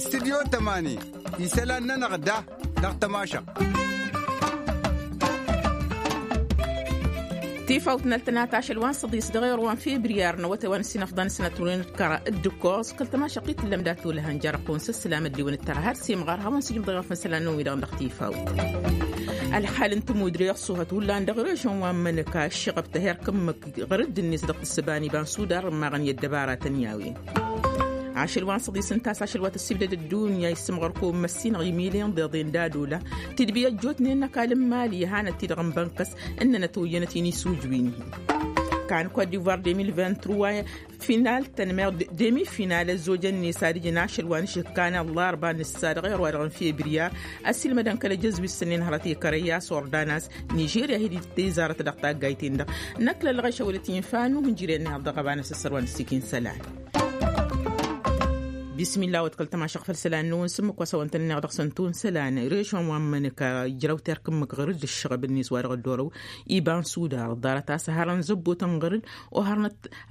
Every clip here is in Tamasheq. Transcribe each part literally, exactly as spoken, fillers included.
Studyo tămani isălan-nănăɣ da dăɣ-tămašăɣt. Tifawt n-ăltănat ašăl wa n-săḍis dăɣ-erwan febriyar n-awătay wa n-sinăfḍan sănăt win-kăra d-ǝkkoẓ kăl-tămašăɣt i-tǝllăm dat-olăhăn jer-ăqqun s-ăssălam ăddiwăn d-tărha har s-imɣar hawăn-sǝjǝm dăɣ-iɣăf n-isălan-năwăn wi-dăɣ dăɣ-tifawt. Ălxal n-tǝmudre ăṣṣuhăt hullan dăɣ-režon wa n-mănăka ǝššăɣăb tăherkǝmmǝk ɣăr dd-net dăɣ-tǝssǝba n-iba n-sudar ǝmmaɣăn i-ăddăbaratăn i-a-wen. Ašăl wa n-săḍis ǝnta a-s ašăl wa tăssibdăd ăddunya issǝmɣăr kăwăn măssinăɣ imiliyăn d-iḍen d-ad-ola tidbi ăjjootnen n-ăkall n-imali ihanăt-ti-dăɣ n-bănkăs ǝnnănăt oyyănăt-in isujwin-hi. Kan kot-divoir deux mille vingt-trois final-tăn meɣ demi-final ăzzojăn-net ad-ǝjǝn ašăl wa n-išǝkkan ăllarba n-ǝssa dăɣ-erwa-dăɣ n-febriyar ăssiilmădăn kăl-ejăzz wi s-sănnen hărăt i-kărăy i-a-s ordanas nižerya hi-dd-tezarăt dăɣ-taggayt-in-dăɣ. Năkk lăllăɣ ešăwălăt infa nuhǝnjǝren neɣ dăɣ-ăbanăs ăssărwan ăssikin sălan. Bismilla wăt kăl-tămašăɣ făll-isălan-năwăn s-ǝmmǝk wa s-hawăn-tăn-ǝnneɣ dăɣ-săn tun isălan režon wa n-imănăk ijrăw terk ǝmmǝk ɣăr-dd ǝššăɣăb-net wa dăɣ-ăddoorăw iba n-sudar ḍarăt a-s ăharăn zăbbotăn ɣăr-dd.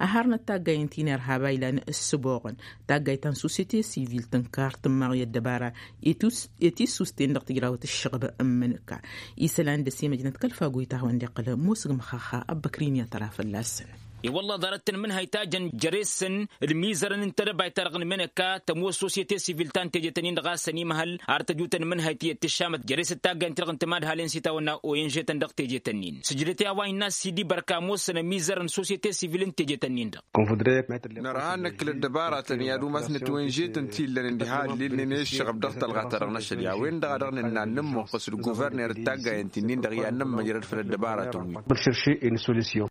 Oharnăt taggay n-tinerha ba ilan ǝssǝboɣăn taggay ta n-sosyete sivil tǝnkar tǝmmaɣ i-ăddăbara i-tisusten dăɣ-tijrawăt ǝššăɣăb n-imănăk. Isălan dăr-s imăjnăt kăl-fagoyt a hawăn-dd-iqqăl musǝgmăx axa ăbbăkrin i-ad-tăra fălla-săn. I-wălla ḍarăt tănmǝnhăy ta jăn jere-săn d-imizărăn n-tedăbayt-ta-dăɣ n-imănăka tămoos sosyete sivil ta n-teje-tăn-in-dăɣ a-s ănimhăl ar tăju tănmǝnhăy ti ăttǝššamăt jere-s d-taggay n-ti-dăɣ n-timadhalen s-itawănna oyenže-tăn dăɣ-teje-tăn-in sǝjdăt i-a-wa innă s-idibărk a ămoosăn ămizărăn sosyete sivil n-teje-tăn-in-dăɣ. Nărha ad-năkk ăddăbaratăn i-ad-umas n-ătwănžetăn ti illănen diha ăllilnen i-ǝššăɣăb dăɣ-tălɣa-ta-dăɣ n-ašăl i-a-wen-dăɣ a dăɣ-nǝnna ad-nǝmmăqqǝs d-guverner d-taggayăn ti-nin-dăɣ i-ad-nǝmmăjrăd făll-ăddăbaratăn-wi.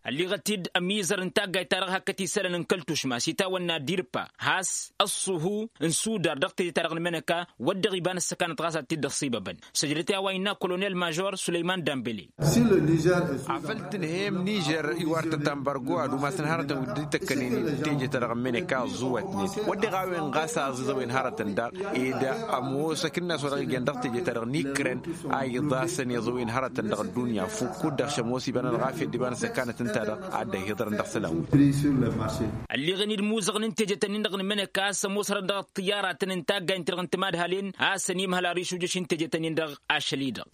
Ălliɣăt-dd ămizăr n-taggayt-ta-dăɣ hakd isălan n-kăl-tušma s-itawănna dirpa has-ăṣṣuhu n-sudar dăɣ-teje-ta-dăɣ n-imănăka wădden iba n-ăssăkanăt ɣas ad-t-dd-ăṣṣibăbăn. Săjdăt i-a-wa innă kolonel mažor sulăyman dambele. Afăl tǝnhăyăm nižer iwar-tăt ambargo ad-umasăn hărătăn wi dd-ităkkănen teje-ta-dăɣ n-imănăka ăẓẓuwătnen wădden a-wen ɣas aẓiẓăwen hărătăn daɣ ed ămoos akǝnnas wa dăɣ-ijăn dăɣ-teje-ta-dăɣ n-ikren a iḍasăn iẓăwen hărătăn dăɣ-ăddunya fukk-dd-dăɣ šămoos iba n-ălɣafyăt d-iba n-ăssăkanăt ǝnta-dăɣ ad-dd-ăhiḍărăn dăɣ-isălan-wi. Ălliɣăn-dd imuzăɣăn n-teje-tăn-in-dăɣ n-imănăka a-s ămoos hărăt dăɣ-ăṭṭǝyyaratăn n-taggay n-ti-dăɣ n-timadhalen a-s ănimhăl ar išujjăš n-teje-tăn-in-dăɣ ašăl-i-dăɣ.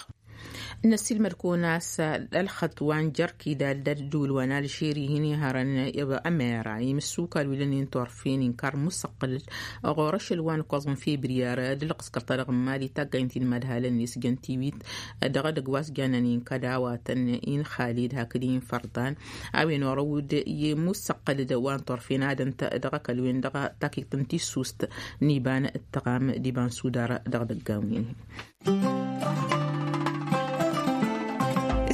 Năssiilmăd kăwăn-as ălxăṭṭ wa n-jerk idal d-ăddul wa n-alžeri hin-ihărăn ămera imǝssukal wi lănen turfen inkar musăqqǝl ɣur-ašăl wa n-ǝkkoẓ n-febriyar d-ǝlqǝskăr-ta-dăɣ n-mali taggaynt-in madhalăn-net jăn tiwit dăɣ-edăgg wa s-janan inkăd awatăn inxalid hakd infărḍan a-wen orăw-dd i-musăqqǝl d-wa n-turfen ad-ǝnta dăɣ-ăkall-wen dăɣ-takikt n-tissust n-iba n-ǝttăɣam d-iba n-sudar dăɣ-idăggan-wi-nin.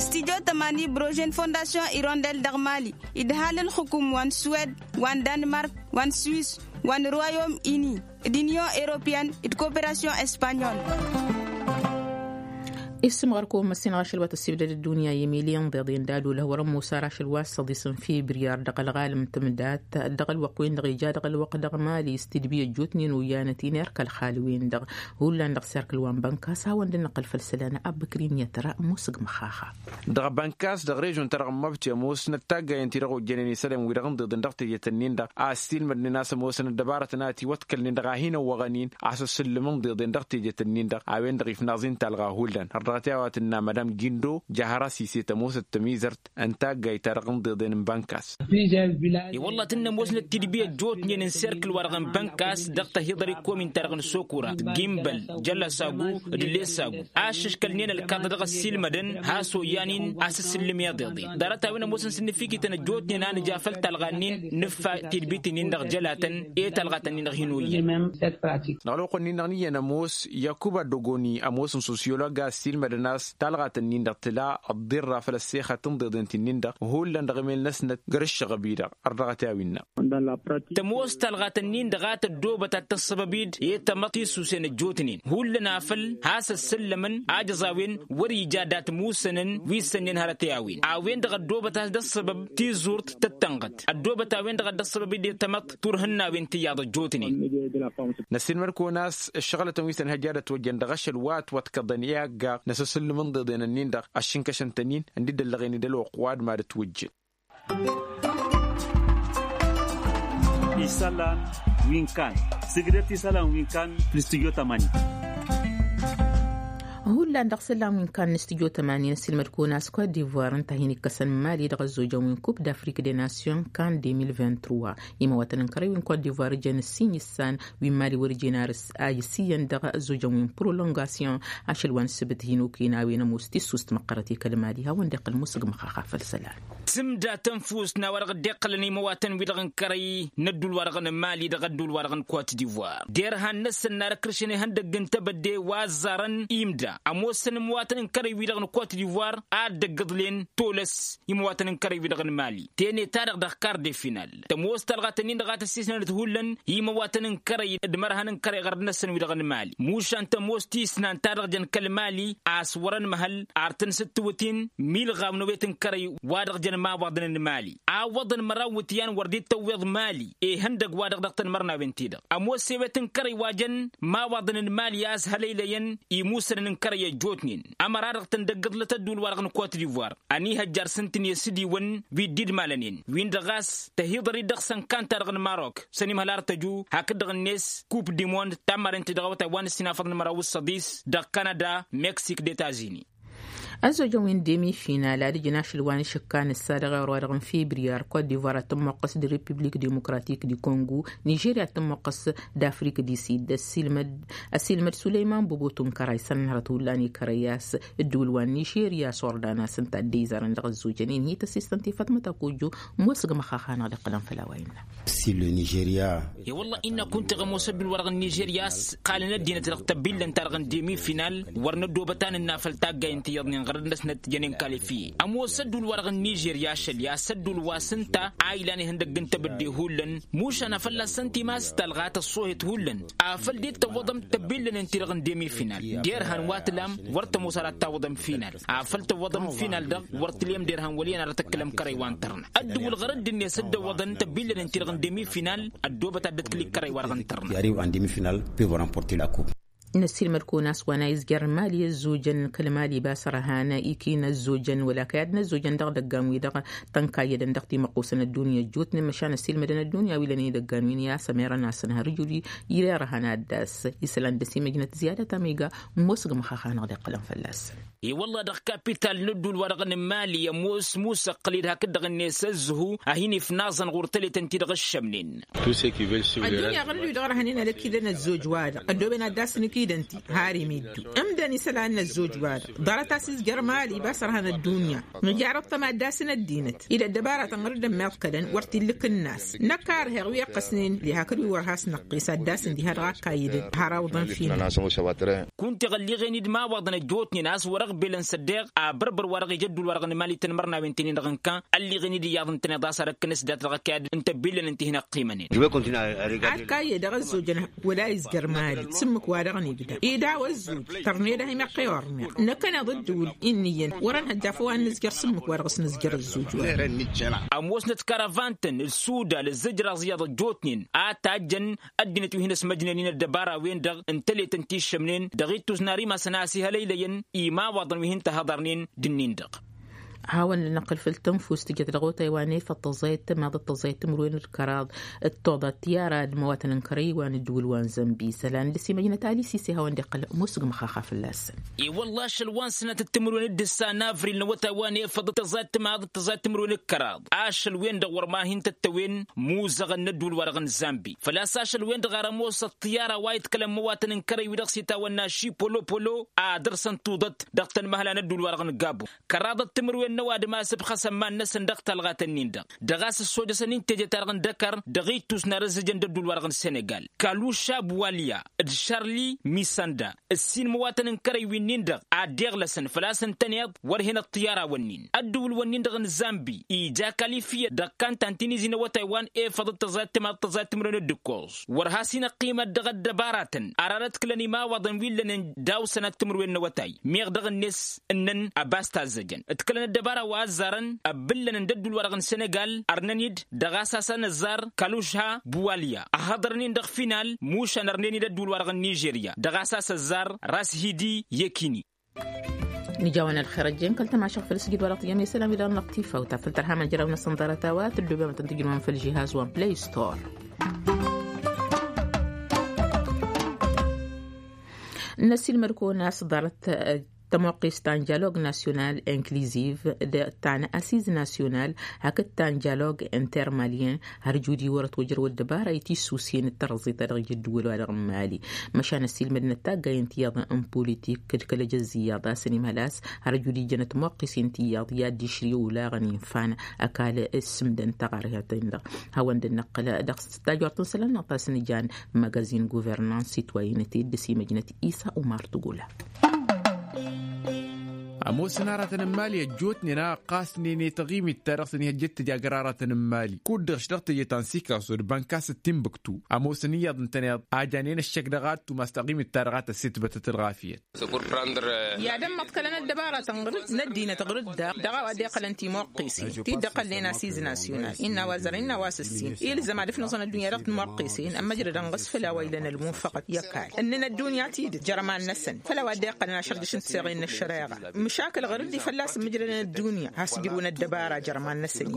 Studyo tămani brožen fondasyon irondel dăɣ-mali idhal n-xukǝm wa n-suwed wa n-danmark wa n-swis wa n-royom ini d-inyon europeyăn d-koperasyon espanyol. Isǝmɣăr-kăwăn măssinăɣ ašăl wa tăssibdăd ăddunya i-miliyăn ḍeḍen d-ad-olăh wăr-ămoos ar ašăl wa s-săḍis n-fibriyar dăɣ-ălɣalăm tǝmdat dăɣ-ălwăqq-wen-dăɣ ija dăɣ-ălwăqq dăɣ-mali s-tidbi ăjjootnen oyyănăt-in erk ălxal-wen-dăɣ. Hullan dăɣ-serkǝl wa n-bănkas hawăn-dd-năqqăl făll-isălan abbăkrin i-ad-tăra musǝgmăx axa. Dăɣ-bănkas dăɣ-režon-ta-dăɣ n-măbti ămoosnăt taggayăn-ti-dăɣ ojjănen isălan-wi-dăɣ ǝnḍeḍen dăɣ-teje-tăn-in-dăɣ a ăssiilmădnen a-s ămoosăn ăddăbarătăn a ătiwăḍkălnen dăɣ-a hin-ăwwăɣăn-in a-s ăsǝllǝm ǝnḍeḍen dăɣ-teje-tăn-in-dăɣ a-wen-dăɣ ifnaẓ-in talɣa hullan har dăɣ-t i-a-wa tǝnna madam gindo jahăra sise tămoosăt tămizărt n-taggayt-ta-dăɣ ǝnḍeḍen n-bănkas. I-wălla tǝnnăm wăsnăt tidbi ăjjootnen n-serkǝl-wa-dăɣ n-bănkas dăɣ-tăhiḍăr i-komin-ta-dăɣ n-sokura gimbăl jălăsagu d-lesagu aššăškălnen ălkaḍ dăɣ-ăssiilmădăn has-oyyan-in a-s ǝssǝllǝm iḍeḍen ḍarăt-a-wen ămoosăn s-ǝnnǝfikităn ăjjootnen a nǝja făll-talɣa-nin nǝffa tidbit-nin-dăɣ jălatăn i-talɣa-tăn-in-dăɣ hin-oyyan. Dăɣ-ălwăqq-nin-dăɣ n-iyyăn ămoos yakuba dogoni ămoos n-sosyolog a ăssiilmădăn a-s talɣa-tăn-in-dăɣ tǝla ăḍḍirra făll-ăssexăt ǝnḍeḍen-t-nin-dăɣ hullan dăɣ-emel-năsnăt găr-ǝššăɣăb-i-dăɣ. Ărdăɣăt i-a-wen-năɣ. Tămoos talɣa-tăn-in-dăɣ a tăddoobăt ad-tăssăbăb-dd i-tamăḍt tisusen ăjjootnen hullan afăl has-ăssăllămăn ajăẓ a-wen wăr-ija dat-musănăn wi s-ănnen hărăt i-a-wen a-wen-dăɣ ăddoobăt a-s dd-ăssăbăb tizurt tăttănɣăt ăddoobăt a-wen-dăɣ a dd-ăssăbăb-dd i-tamăḍt turhǝnna a-wen tǝyyaḍ ăjjootnen. Năssiilmăd-kăwăn a-s ǝššăɣǝlătăn wi s-ănhăj ad-ătwăjjăn dăɣ-ašăl wa ătwăḍkăḍăn i-aggaɣ n-asǝssǝllǝm ǝnḍeḍen-ǝnnin-dăɣ ăššǝnkăšăn-tăn-in ǝnda dd-ăllăɣen d-ălwăqq wa d-mad-ătwăjjăn. Isălan wi n-kan sǝgdăt isălan wi n-kan. N-studyo tămani. Hullan dăɣ-isălan wi n-kan n-studyo tămani n-asilmăd-kăwăn a-s kot divoir ǝnta a hin-ikkăsăn mali dăɣ-ăzzojăn wi n-kup d-afrik de nasyon kan de mil vint-trois. Imăwatăn n-kărăy wi n-kot divoir jăn ǝssin issan wi n-mali wăr jen arǝs a isiyăn dăɣ-ăzzojăn wi n-prolongasyon. Ašăl wa n-sǝbǝt hin-okăyăn a-wen ămoos tissust măqqărăt i-kăl-mali hawăn-dd-iqqǝl musǝg măxaxa făll-isălan. Tǝmda tănfust n-a-wa-dăɣ dd-iqqălăn imăwatăn-wi-dăɣ n-kărăy n-ădduul-wa-dăɣ n-mali dăɣ-ădduul-wa-dăɣ n-kot divoir derhan-năsăn n-ad-ǝkrǝšăn ihăndăgg n-tebădde wa ăzzarăn imda ămoosăn imăwatăn n-kărăy-wi-dăɣ n-kot divoir. Ad-dd-ăggăḍlen tolăs imăwatăn n-kărăy-wi-dăɣ n-mali tenet-ta-dăɣ dăɣ-kar de final tămoos talɣat-ǝnnin-dăɣ a tăssisnănăt hullan imăwatăn n-kărăy d-imărhan n-kărăy ɣărd-năsăn-wi-dăɣ n-mali. Mušan tămoos tisnant ta dăɣ-jăn kăl-mali a-s wăr-ănmăhăl ar tăn-sǝttǝwǝt-in milɣaw n-ewet n-kărăy wa dăɣ-jăn imawaḍăn n-mali. Awwăḍăn măraw n-iwǝtyan wăr dd-tăwweḍ mali ihăndăgg wa dăɣ-dăɣ tăn-imărnawen-ti-dăɣ ămoos ewet n-kărăy wa jăn imawaḍăn n-mali a-s hăleylăyăn imusănăn n-kărăy ăjjootnen. Ămăra-dăɣ tăn-dd-ăggǝḍlăt ădduul-wa-dăɣ n-kot divoir ănihăjjar s-ǝntǝn i-asǝdiwăn wi dd-idmalănen win-dăɣ a-s tăhiḍăr-dd dăɣ-săn kan-ta-dăɣ n-marok s-ănimhăl ar tăju hakd-dăɣ-net kup dimond tammaren-ti-dăɣ awătay wa n-ǝssin afăḍăn măraw s-săḍis dăɣ-kanada meksik d-etazini. Ăzzojăn wi n-demi final ad-ǝjǝn ašăl wa n-išǝkkan ǝssa dăɣ-ewăr wa dăɣ-n fibriyar kot divoir ad-tămmoqqăs d-repiblik dimokratik di kongo nižerya ad-tămmoqqăs d-afrik di sid ăssiilmăd sulăyman bobotu n-kăray săn hărăt hullan i-kărăy a-s ǝddǝwǝl wa n-nižerya s-ordan a-s ǝnta dd-izarăn dăɣ-ăzzojăn-in hi-tăsistăn ti fatmăt akojo. Ămoosăg măxaxa-năɣ d-iqqălăn făll-a-wa innă. Ăssiil n-nižerya. I-wălla innă kunta ɣămoos ădduul-wa-dăɣ n-nižerya a-s qalăn ăddinăt dăɣ-tăbillăn-ta-dăɣ n-demi final wăr năddobăt a nǝnna făll-taggay n-tiyyăḍnen ɣărăt-năsnăt jănen kalifiye. Ămoos ădduul-wa-dăɣ n-nižerya ašăl i-a-s ădduul wa s-ǝnta a ilan ihăndăgg n-tebădde hullan mušan a fălla-săn timas talɣa tăṣṣohet hullan afăl dd-tăwwăḍăm tăbillăn-in-ti-dăɣ n-demi final. Derhan wa tǝlam wăr tămoos ara d-tawwăḍăm final afăl tăwwăḍăm final-dăɣ wăr tǝlem derhan wăl' iyyăn ara tǝkkǝlăm kărăy wa n-tărna. Ăddǝwǝl ɣărăt d-net dd-ăwwăḍăn tăbillăn-in-ti-dăɣ n-demi final ăddoobăt ad-dd-ătkǝl i-kărăy wa dăɣ-n tărna. N-ăssiilmăd kăwăn-as wa n-a izjăr n-mali ăzzojăn kăl-mali ibas ărhan ikină ăzzojăn wăla kăy-ad-năzzojăn dăɣ-idăggan-wi-dăɣ tănkayyădăn dăɣ-timăqqusăn ăddunya ăjjootnen măšan ăssiilmădăn ăddunya wi lănen idăggan-win i-a-s ămerăn-asăn har ǝjud i-ărhan ad-das isălan dăr-s imăjnăt ziyadăt amiga. Ămoosăg măxaxa-năɣ d-iqqălăn fălla-săn. I-wălla dăɣ-kapital n-ădduul-wa-dăɣ n-mali ămoos musăqqǝl-dd hakd-dăɣ-net ăzzhu a hin-ifnaẓăn ɣur-tăletăn-ti-dăɣ ǝššămnen. Ăddunya ɣǝr-dd-wi dăɣ-răhănen ad-ăkidăn ăzzoj-wa-dăɣ ăddoben ad-dasăn ikidăn-ti har imiddu ǝmdăn isălan n-ăzzoj-wa-dăɣ ḍarăt a-s izjăr mali ibas ărhan ăddunya. Nǝjarăḍ-tăm ad-dasăn ăddinăt ila ăddăbaratăn ɣǝr-dd ămmiḍkălăn wăr t-illǝk ǝnnas. Năkk a ărheɣ wi ăqqăsnen li hakd wi wăr has-năqqes ad-dasăn diha-dăɣ akkayyǝdăn har awǝḍăn fina. Kunta iɣălliɣen-dd imawaḍăn ăjjootnen a-s wăr-ăɣbelăn s-ăddeɣ abărbăr wa dăɣ-ija ădduul-wa-dăɣ n-mali tăn-imărnawen-ten-in-dăɣ n-kan ălliɣen-dd iyyăḍ ǝntăneḍ a-s ad-ăkkănes dat dăɣ-ăkayad n-tăbillăn ǝnta i-hin-ăqqimănen. Ad-kayyăy dăɣ-ăzzojăn wăla izjăr mali sǝmmǝk wa dăɣ-nibda idaw ăzzoj tărned a hin-iqqăy orneɣ năkkăneḍ ǝddǝwǝl. Inn'-iyyăn wăr-ănhăjja făw ad-nǝzjăr sǝmmǝk wa dăɣ-s nǝzjăr ăzzoj wa. Ămoosnăt karavantăn d-sudal d-zǝjraẓ iyyăḍ ăjjootnen a tajjăn ăddinăt wi hin-ăsmăjnen-in ăddăbara-wen-dăɣ n-tăletăn ti ǝššămnen dăɣ-ittus n-ar imasăn a ăsihălăylăyăn imawaḍăn wi hin-tăhăḍărnen d-ǝnnin-dăɣ. Hawăn-dd-năqqǝl făll-tănfust tǝjăt dăɣ-otay wa n-efăḍ tăẓẓayăt tămaḍăt tăẓẓayăt timǝrwen d-kăraḍ d-toḍa tiyyara d-imawatăn n-kărăy wa n-ăddǝwǝl wa n-zănbi isălan dăr-s imăjnăt ali s-ise hawăn-dd-iqqăl. Ămoosăg măxaxa fălla-săn. I-wălla ašăl wa n-sănatăt timǝrwen d-ǝssa n-avril n-awătay wa n-efăḍ tăẓẓayăt tămaḍăt tăẓẓayăt timǝrwen d-kăraḍ ašăl-wen-dăɣ wăr ma hin-tăttăwen muzăɣăn n-ădduul-wa-dăɣ n-zambi făl-a-s ašăl-wen-dăɣ ar ămoos ăṭṭiyara wa iḍkălăn imăwatăn n-kărăy wi dăɣ-s itawănna šipolopolo. Ad-dăr-săn tuḍăt dăɣ-tănmăhla n-ădduul-wa-dăɣ n-gabo kăraḍăt timǝrwen n-ăwadǝm a-s ǝbxăsăn iman-năsăn dăɣ-talɣat-nin-dăɣ dăɣ-a-s ăssojăsăn intejăt-ta-dăɣ n-dăkăr dăɣ-ittus n-arǝzzǝjăn d-ădduul-wa-dăɣ n-senegal kaluša buwalya d-šarli misanda. Ǝssin imǝwatăn n-kărăy wi-nin-dăɣ ad-dd-iɣlăsăn făl-a-s ǝntăneḍ wăr hen ăṭṭiyara-wǝnnin ăddǝwǝl-wǝnnin-dăɣ n-zambi ija kalifiya dăɣ-kantan ti n-izi n-awătay wa n-efăḍăt tăẓayăt timaḍăt tăẓayăt timǝrwen d-ǝkkoẓ wăr has-in-ăqqimăt dăɣ-ăddăbaratăn ar arăt kǝlăn imawaḍăn wi ǝllănen daw-sănat timǝrwen n-awătay. Meɣ dăɣ-net ǝnnăn ăbas tazzăjăn ǝtkǝlăn ăddăbara wa ăzzarăn ăbbǝllănăn d-ădduul-wa-dăɣ n-senegal ărnăn-dd dăɣ-a-s a-s ănăzzar kalužha buwalya ăhhăḍărnen dăɣ-final mušan ărnen-dd ădduul-wa-dăɣ n-nižerya dăɣ-a-s a-s ăzzar rashidi yekini. Nǝjawăn ălxer ăjjeen kăl-tămašăɣ făll-sǝjǝd wa dăɣ-tǝjăm i-isălan wi dăɣ-năɣ tifawt afăl tărhamăn jăraw-năsăn ḍarăt a-wa tǝddobem ad-tăn-tǝjrǝwăm făll-žihaz wa n-play store. N-ăsilmăd-kăwăn a-s ḍarăt tămoqqist ta n-jalog nasyonal inkliziv d-ta n-asiz nasyonal hakd ta n-jalog intermalyen. Har judi wăr-ătwăjrăw ăddăbara i-tissusen d-tărẓit a dăɣ-ija ăddǝwǝl wa dăɣ-n mali. Măšan ăsilmădnăt taggay n-tiyyăḍ n-politik d-kăl-ejăzz iyyăḍ a-s ănimhăl a-s har judi jănăt tămoqqisen tiyyăḍ i-ad-dd-išri olaɣăn infan ăkall s-sǝmdăn taɣarhăten-dăɣ. Hawăn-dd-năqqǝl dăɣ-s tajort n-isălan-năɣ ta s-nǝjan magazin guvernans sitwayinăte d-simăjnăt isa umar tugula. Ămoosăn aratăn n-imali ăjjootnen a ăqqasnen i-taɣimit ta dăɣ-săn ihăjjăt tǝja găr aratăn n-imali kud-dăɣ š-dăɣ teje ta n-sikaso d-bănkas d-timbuktu. Ămoosăn iyyăḍ ǝntăneḍ a janen ăššăk dăɣ-ad-tumas taɣimit ta dăɣ-ad-tăsset bătăt ălɣafyăt. I-ad-ămmăḍkălăn ăddăbaratăn ɣǝr-dd n-ăddinăt ɣǝr-dd daɣ dăɣ-a-wa dd-iqqălăn timăqqesen ti dd-ăqqălnen asiz nasyonal innă a-wa zărăn innă a-wa s-ǝssin ilzăm ad-ǝfnǝẓăn ăddunya dăɣ-timăqqesen ămmăjrădăn ɣas făll-a-wa ilăn ălmunfăɣăt i-ăkall ǝnnăn ăddunya tidǝt jărman-năsăn făll-a-wa dd-iqqălăn ašărdǝš n-tiseɣen n-ăššăreɣa. Măšakǝl ɣǝr-dd ifălla-s ǝmmǝjrădăn ăddunya has-ǝjrǝwăn ăddăbara jărman-năsăn-i.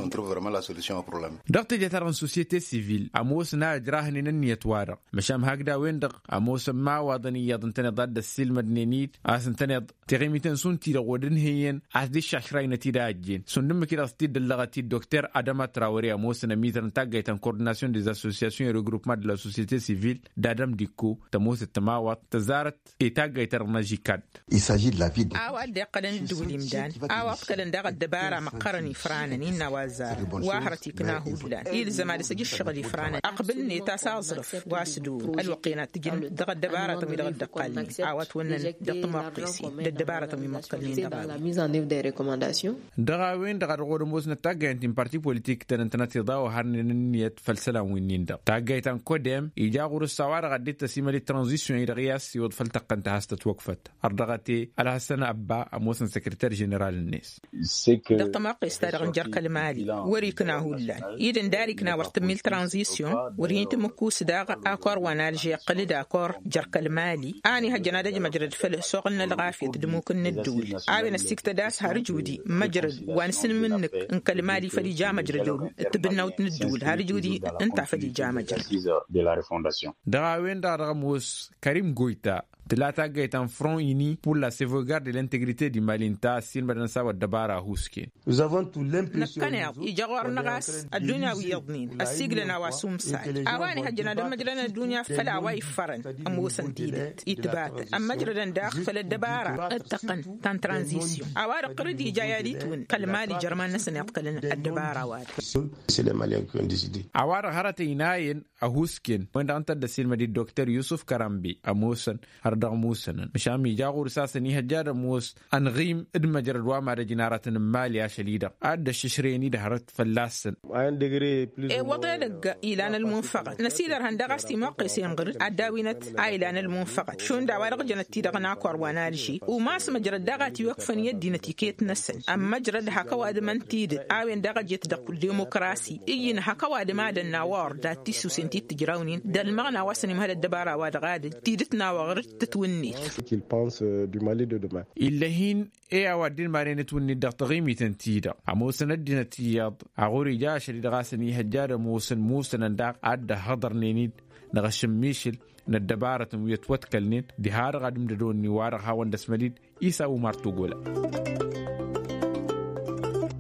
Dăɣ-teje-ta-dăɣ n-susyete sivil ămoosăn a ǝjrahnen ǝnniyăt-wa-dăɣ măšan hakd a-wen-dăɣ ămoosăn imawaḍăn iyyăḍ ǝntăneḍ ad-dd-ăssiilmădnen-dd a-s ǝntăneḍ tiɣimiten šund-ti-dăɣ wăr dd-ǝnhǝyyăn a-s dd-iššašrayăn ătidajjen šund ǝmmǝk-i-dăɣ s-t-dd-ăllăɣăt-dd dokter adăma trawăre ămoosăn ămizăr n-taggayt ta n-kordinasyon dez-associasyon i-regrupement de la societe sivil d-adăm dikko tămoosăt tămawaḍt tăzzarăt i-taggayt-ta-dăɣ n-ažikad. A-wa dd-iqqălăn ǝddǝwǝl imdan a-wa ǝḍkălăn daɣ ăddăbara măqqărăn ifranăn innă a-wa ăzzarăn wa hărăt ikna hullan ilzăm ad-ăsăj ǝššăɣǝl ifranăn ăqbǝl-net a-s aẓrǝf wa s-dd-owǝn ălwăqq-en ad-t-ǝjǝn dăɣ-ăddăbaratăn wi-dăɣ dd-ăqqalnen a-wa ătwănnăn dăɣ-tămoqqesen d-ăddăbaratăn wi măḍkălnen dăɣ-a-wen. Dăɣ-a-wen-dăɣ a dăɣ-wăr-ămoosnăt taggayăn ti n-parti politik-tăn ǝntănăt iḍa wa harnen ǝnniyăt făll-isălan winnin-dăɣ taggayt ta n-kodem ija ɣur-s a-wa-dăɣ a dd-tăsimăd i-tranzisyon-i-dăɣ i-ad-siwǝḍ făll-tăqqăn ta has-tătwăkfăt. Ărdăɣăt-e ălhăssăn ăbba ămoosăn săkrăter ženeral-net. Dăɣ-tămoqqes-ta-dăɣ n-jer-kăl-mali wăr-ikna hullan idǝn dar ikna wăr tǝmmil tranzisyon wăr hin-tǝmmǝkkus daɣ akor wa n-alže iqqǝl-dd akor jer-kăl-mali a ănihăjjăn ad-ăjmăjrăd făll-ăsoɣǝl n-ălɣafyăt d-ămmuk n-ǝddǝwǝl. A-wen ăssiktăd a-s har ǝjudi măjrăd wa n-asǝnmǝnnǝk n-kăl-mali făll-ija măjrăd ewǝl d-tǝbǝnnawt n-ǝddǝwǝl har ǝjudi ǝnta a făll-ija măjrăd. Dăɣ-a-wen-dăɣ a dăɣ-ămoos kărim goyta tǝla taggayt ta n-front uni pour la sauvegarde de l'integrite du mali ǝnta a ăssiilmădăn s-a-wa ăddăbara a husken. Năkkăneḍ ija ɣur-năɣ a-s ăddunya wi iyyăḍnen ăssiiglăn a-wa s-umsal a-wa ănihăjjăn ad-ămmăjrădăn ăddunya făll-a-wa iffărăn. Ămoosăn tidǝt itbatăn ămmăjrădăn daɣ făll-ăddăbara d-tăqqăn ta n-tranzisyon a-wa-dăɣ ɣur-dd ija i-ad-itwǝn kăl-mali jer-iman-năsăn iḍkălăn ăddăbara-wa-dăɣ. A-wa-dăɣ hărăt ăynayăn ăhuusken wăndăɣ ǝnta a dd-ăssiilmăd-dd dokter yusuf kărambe ămoosăn har dăɣ-musănăn măšan ija ɣur-s a-s ănihăjja ad-ămoos ănɣim d-măjrăd wa mad-ăjnarătăn n-mali ašăl-i-dăɣ a dd-ăššǝšrăyăn-dd hărăt fălla-săn. Iwwăḍ edăgg ilan ălmunfăɣăt năsidărhăn daɣ a-s timuqqesen ɣǝr-dd ad-dd-awinăt a ilan ălmunfăɣăt šund a-wa-dăɣ jănăt-ti-dăɣ n-akor wa n-alži umas măjrăd daɣ a tiwăkfăn i-ăddinăt iket-năsăn ămmăjrăd hak ăwadǝm n-tidǝt a-wen daɣ ăjet dăɣ-demokrasi iyyǝn hak ăwadǝm ad-ănn a-wa ɣur-dd ad-tissusen ti t-ǝjrawnen d-ălmăɣna wa s-ănimhăl ăddăbara-wa-dăɣ adǝl tidǝt n-a-wa ɣǝr-dd tǝtwǝnnet. Ill'-e hin-e a-wa dd-inmanen ǝtwǝnnet dăɣ-taɣimit-en-ti-dăɣ ămoosăn ăddinăt iyyăḍ a ɣur-ija ašăl-i-dăɣ a-s ănihăjja ad-ămoosăn musănăn daɣ a dd-ăhhăḍărnen-dd dăɣ-ašǝmmišǝl n-ăddăbarătăn wi ătwăḍkălnen diha-dăɣ ad-imdădonni wa-dăɣ hawăn-dd-ăsmăl-dd. Isa umar tugola.